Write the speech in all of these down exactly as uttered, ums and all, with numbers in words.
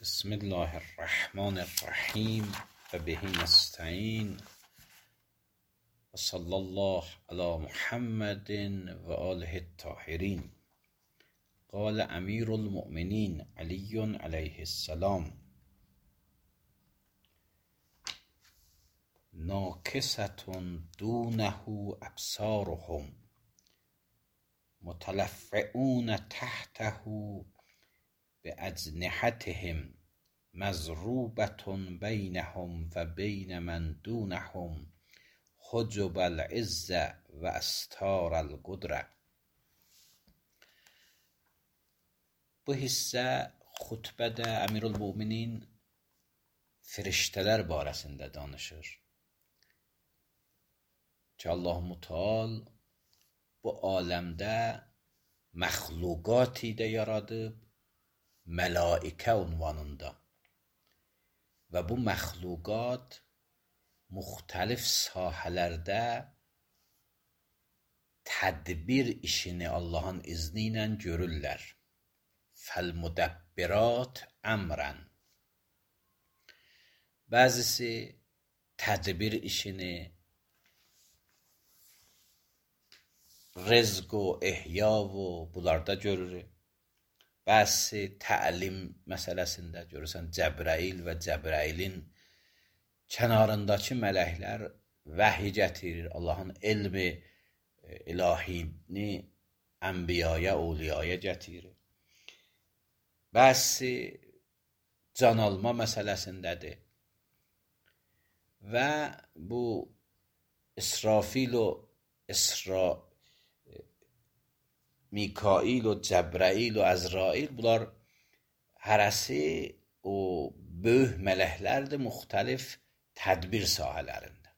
بسم الله الرحمن الرحیم و به نستعین و صلی الله علی محمد و آله الطاهرین. قال امیر المؤمنین علی علیه السلام: ناکسة دونه ابصارهم متلفعون تحته باجنحتهم مضروبة بینهم و بین من دونهم حجب العز و استار القدرة. Bu hissə xutbədə Əmirülmüminin firiştələr barəsində danışır ki, Allah-u Teala bu aləmdə məxluqati də yaradıb, mələikə ünvanında və bu məxluqat müxtəlif sahələrdə tədbir işini Allahın izni ilə görürlər. Fəl-müdəbbirat əmrən. Bəzisi tədbir işini, rızq və ihya və bunlarda görür. Bəzisi təlim məsələsində görürsən, Cəbrəil və Cəbrəilin kənarındakı mələklər vəhy gətirir. Allahın elmi ilahini ənbiyaya, awliyaya gətirir. Bəzisi can alma məsələsindədir. Və bu İsrafil o İsra Mikail o Cəbrəil o Əzrail, bunlar hərəsi o böyük mələklərdir müxtəlif tədbir sahələrində.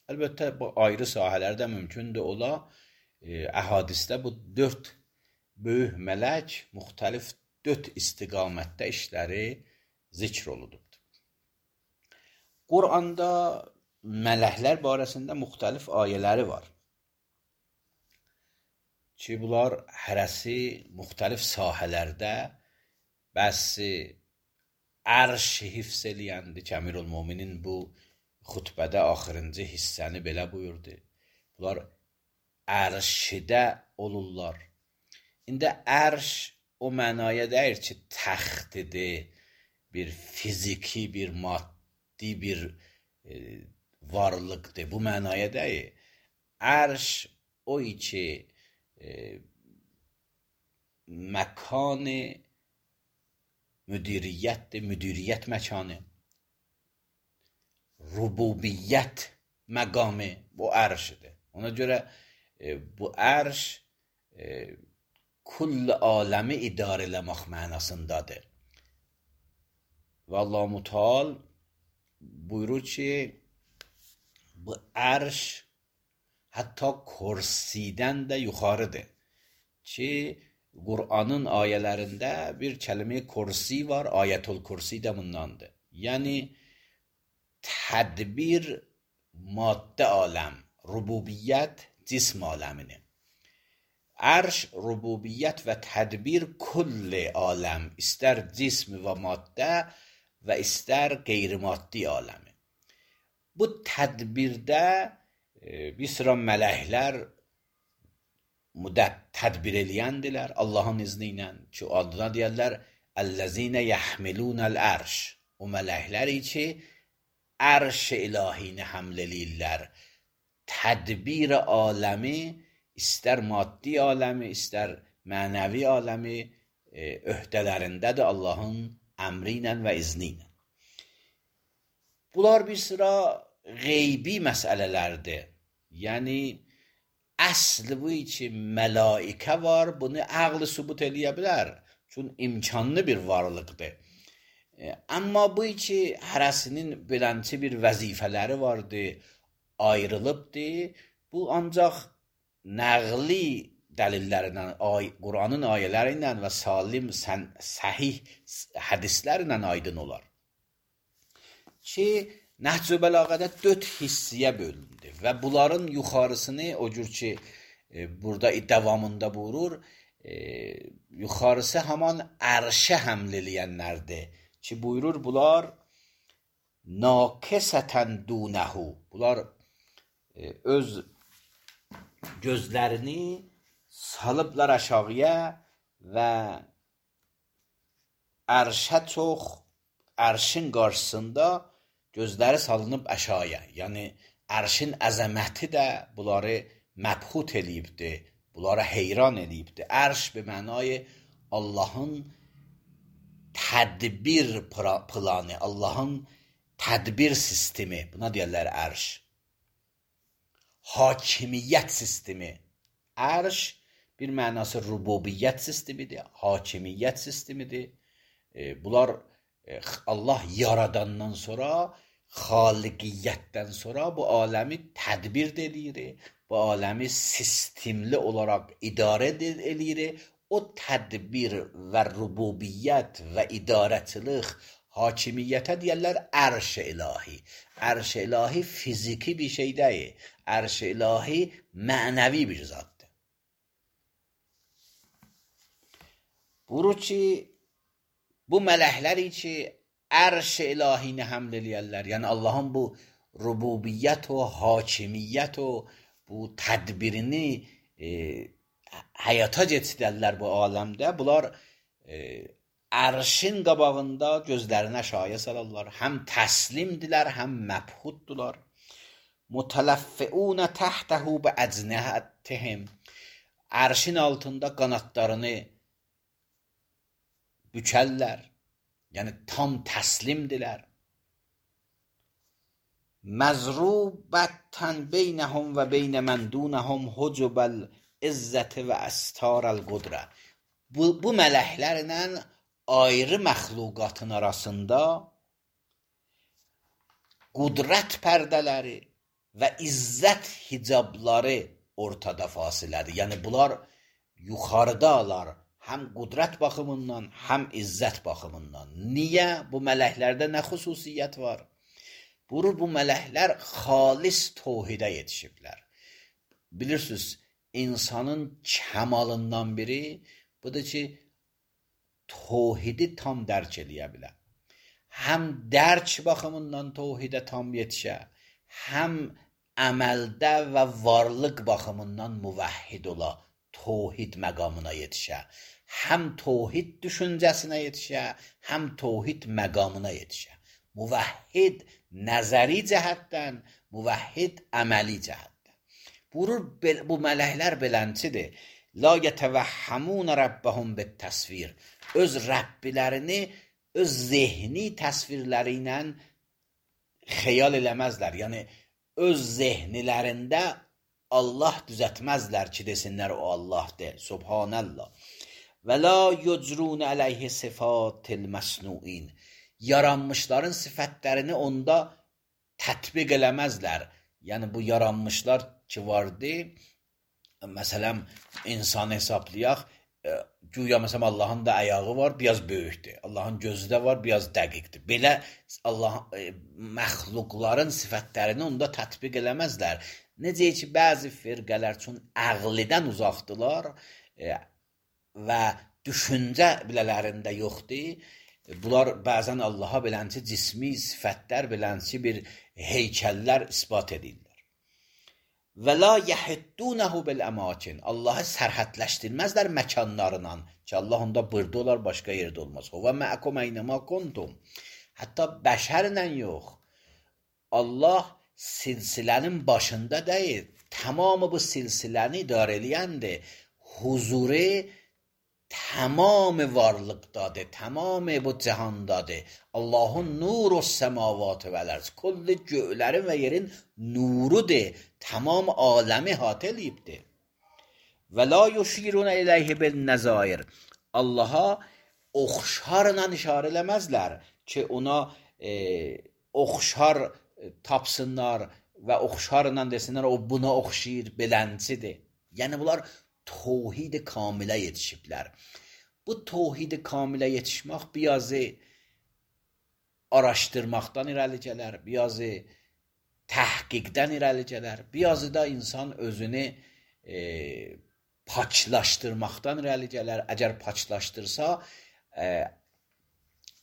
Əlbəttə bu ayrı sahələrdə mümkündür ola. Əhadisdə bu dörd böyük mələk müxtəlif dörd istiqamətdə işləri zikr olunubdur. Quranda mələklər barəsində müxtəlif ayələri var ki, bunlar hərəsi müxtəlif sahələrdə, bəzi ərş hifz eləyəndir ki, Əmirülmüminin bu xutbədə axırıncı hissəni belə buyurdu. Bunlar ərşidə olurlar. İndi ərş o mənaya deyir ki, təxtidir, bir fiziki, bir maddi bir e, varlıqdır. Bu mənaya deyir. Ərş o ki, e, məkan müdiriyyətdir, müdiriyyət məkanı. Rububiyyət məqamı bu ərşidir. Ona görə e, bu ərş e, kull aləmi idarə eləmək mənasındadır. Və Allah-u Teala buyurur ki, bu ərş hətta kursidən də yuxarıdır. Ki, Qur'anın ayələrində bir kəlmə kursi var, ayətül kursi də bundandır. Yəni, tədbir maddə aləm, rububiyyət cism aləmini. Ərş, rububiyyət və tədbir kulli aləm, istər cism və maddə və istər qeyri-maddi aləmi. Bu tədbirdə e, bir sıra mələklər tədbir eləyəndilər Allahın izni ilə ki, adına deyərlər Əl-ləzinə yəhmilunəl ərş. O mələklər ki, ərş-i ilahini həml eləyirlər. Tədbir aləmi, istər maddi aləmi, istər mənəvi aləmi e, öhdələrindədir Allahın əmri ilə və izni ilə. Bunlar bir sıra qeybi məsələlərdir. Yəni, əsli bu ki, mələikə var, bunu əqli sübut eləyə bilər. Çünki imkanlı bir varlıqdır. E, amma bu ki, hərəsinin belənçi bir vəzifələri vardır, ayrılıbdır. Bu ancaq nəqli dəlillərindən, ay, Qur'anın ayələri ilə və salim, sən, səhih hədislərlə aydın olar. Ki, Nəhc-ü Bəlağədə dörd hissiyə bölündü və bunların yuxarısını, o cür ki, e, burada davamında buyurur, e, yuxarısı haman ərşə həml eləyənlərdir ki buyurur bunlar nakisatan dunehu, bunlar e, öz gözlərini salıblar aşağıya və ərşə çox, ərşin qarşısında gözləri salınıb aşağıya. Yəni ərşin əzəməti də bunları məbhut eləyibdi, bunlara heyran eləyibdi. Ərş be mənayı Allahın tədbir planı, Allahın tədbir sistemi, buna deyirlər ərş. Hakimiyyət sistemi. Ərş bir mənası rububiyyət sistemidir, hakimiyyət sistemidir. E, bunlar e, Allah yaradandan sonra, xaliqiyyətdən sonra bu aləmi tədbir edir, bu aləmi sistemli olaraq idarə edir. O tədbir və rububiyyət və idarəçilik, hakimiyyətə deyirlər ərş-i ilahi. Ərş-i ilahi fiziki bir şey deyil. Ərş-i ilahi mənəvi bir zatdır. Buyurur ki, bu mələkləri ki, ərş-i ilahini həml eləyərlər. Yəni Allahın bu rububiyyət o, hakimiyyət o, bu tədbirini e, həyata keçirərlər bu aləmdə. Bunlar e, ərşin qabağında gözlərini aşağıya salarlar. Həm təslimdilər, həm məbhuddular. Mutalaffiun tahtahu bi əcnəhatihim. Ərşin altında qanatlarını bükərlər. Yəni tam təslimdilər. Məzrubətən beynəhum və beynə mən dunəhum hucubəl izzəti və əstarəl qudrə. Bu, bu mələklərlə ayrı məxluqatın arasında qudrət pərdələri və izzət hicabları ortada fasilədir. Yəni bunlar yuxarıdalar, həm qudrət baxımından, həm izzət baxımından. Niyə? Bu mələklərdə nə xüsusiyyət var? Buyurur, bu mələklər xalis tövhidə yetişiblər. Bilirsiniz, insanın kəmalından biri budur ki, tövhidi tam dərk eləyə bilər. Həm dərk baxımından tövhidə tam yetişə, həm əməldə və varlıq baxımından müvəhhid ola, tövhid məqamına yetişə. Həm tövhid düşüncəsinə yetişə, həm tövhid məqamına yetişə. Müvəhhid nəzəri cəhətdən, müvəhhid əməli cəhətdən. Buyurur, bu mələklər beləncidir. La yetevəhhamun rabbahum bit təsvir. Öz Rəbbilərini öz zehni təsvirləri ilə xəyal eləməzlər. Yəni öz zehnilərində Allah düzətməzlər ki, desinlər o Allahdır. Subhanallah. Və la yucrun əleyhi sifatil məsnuin. Yaranmışların sifətlərini onda tətbiq eləməzlər. Yəni bu yaranmışlar ki vardı, məsələn, insan hesablayaq, güya məsələn Allahın da ayağı var, biraz böyükdür. Allahın gözü də var, biraz dəqiqdir. Belə Allah məxluqların sifətlərini onda tətbiq eləməzlər. Necə ki, bəzi firqələr üçün əqlidən uzaqdılar e, və düşüncə bilələrində yoxdur. Bunlar bəzən Allaha belənçi cismi sifətlər, belənçi bir heykəllər isbat edirlər. Və la yəhiddunəhu bil əmakin. Allahı sərhədləşdirməzlər məkanlarından ki, Allah onda burada olar, başqa yerdə olmaz. Və məəkum əynəmə kuntum. Hətta bəşərlə yox. Allah silsilənin başında deyil, tamamı bu silsiləni idarə eləyəndir. Huzuru tamam varlıqdadır, tamam bu cihandadır. Allahın nuru səmavatı vələrz. Kulli göylərin və yerin nurudur. Tamam aləmi hatə eləyibdir. Və la yuşiruna iləyhi bil nəzair. Allaha oxşarla işarə eləməzlər ki, ona e, oxşar tapsınlar və oxşarla desinlər, o buna oxşayır, beləncidir. Yəni bunlar tövhid-i kamilə yetişiblər. Bu tövhid-i kamilə yetişmək birazı araşdırmaqdan irəli gələr, birazı təhqiqdən irəli gələr, birazı da insan özünü e, paçlaşdırmaqdan irəli gələr. Əgər paçlaşdırsa, e,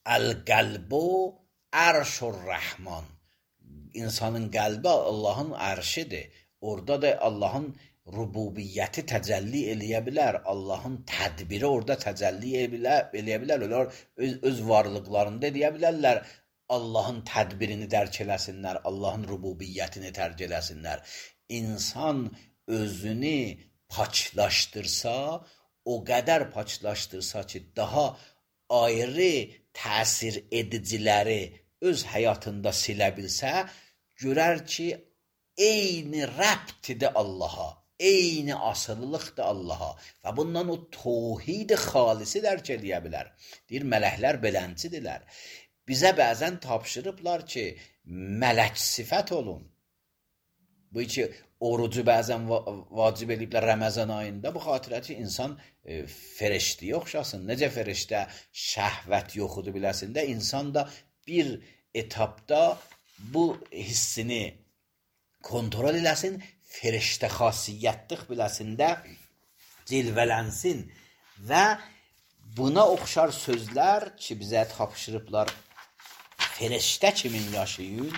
Əl-qəlbu ərşur-rəhman. İnsanın qəlbi Allahın ərşidir. Orada da Allahın rububiyyəti təcəlli eləyə bilər. Allahın tədbiri orada təcəlli eləyə bilər. Onlar öz, öz varlıqlarında deyə bilərlər. Allahın tədbirini dərk eləsinlər. Allahın rububiyyətini dərk eləsinlər. İnsan özünü paçlaşdırsa, o qədər paçlaşdırsa ki, daha ayrı təsir ediciləri öz həyatında silə bilsə, görər ki, eyni rəbtidir Allaha, eyni asılılıqdır Allaha və bundan o tövhid xalisi dərk eləyə bilər. Deyir, mələklər beləncidirlər. Bizə bəzən tapşırıblar ki, mələk sifət olun. Bu ki, orucu bəzən vacib ediblər Ramazan ayında, bu xatirə ki, insan e, feriştəyə oxşasın. Necə feriştə şəhvət yoxudur biləsində, insan da bir etapda bu hissini kontrol eləsin, feriştə xasiyyətlik biləsində cilvələnsin və buna oxşar sözlər ki, bizə tapşırıblar feriştə kimin yaşayın,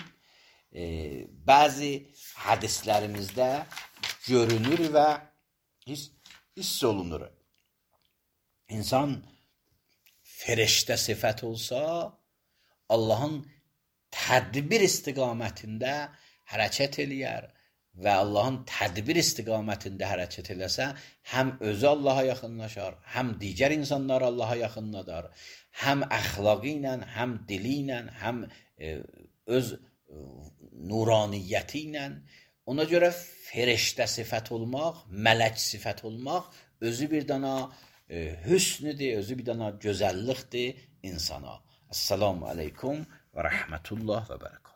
e, bəzi hədislərimizdə görünür və hiss, hiss olunur. İnsan feriştə sifət olsa, Allahın tədbir istiqamətində hərəkət eləyər və Allahın tədbir istiqamətində hərəkət eləsə, həm özü Allaha yaxınlaşar, həm digər insanlar Allaha yaxınladar, həm əxlaqı ilə, həm dili ilə, həm e, öz nuraniyyəti ilə. Ona görə feriştə sifət olmaq, mələk sifət olmaq özü bir dana e, hüsnüdür, özü bir dana gözəllikdir insana. Assalamu aleykum və rəhmətullah və bərəkət.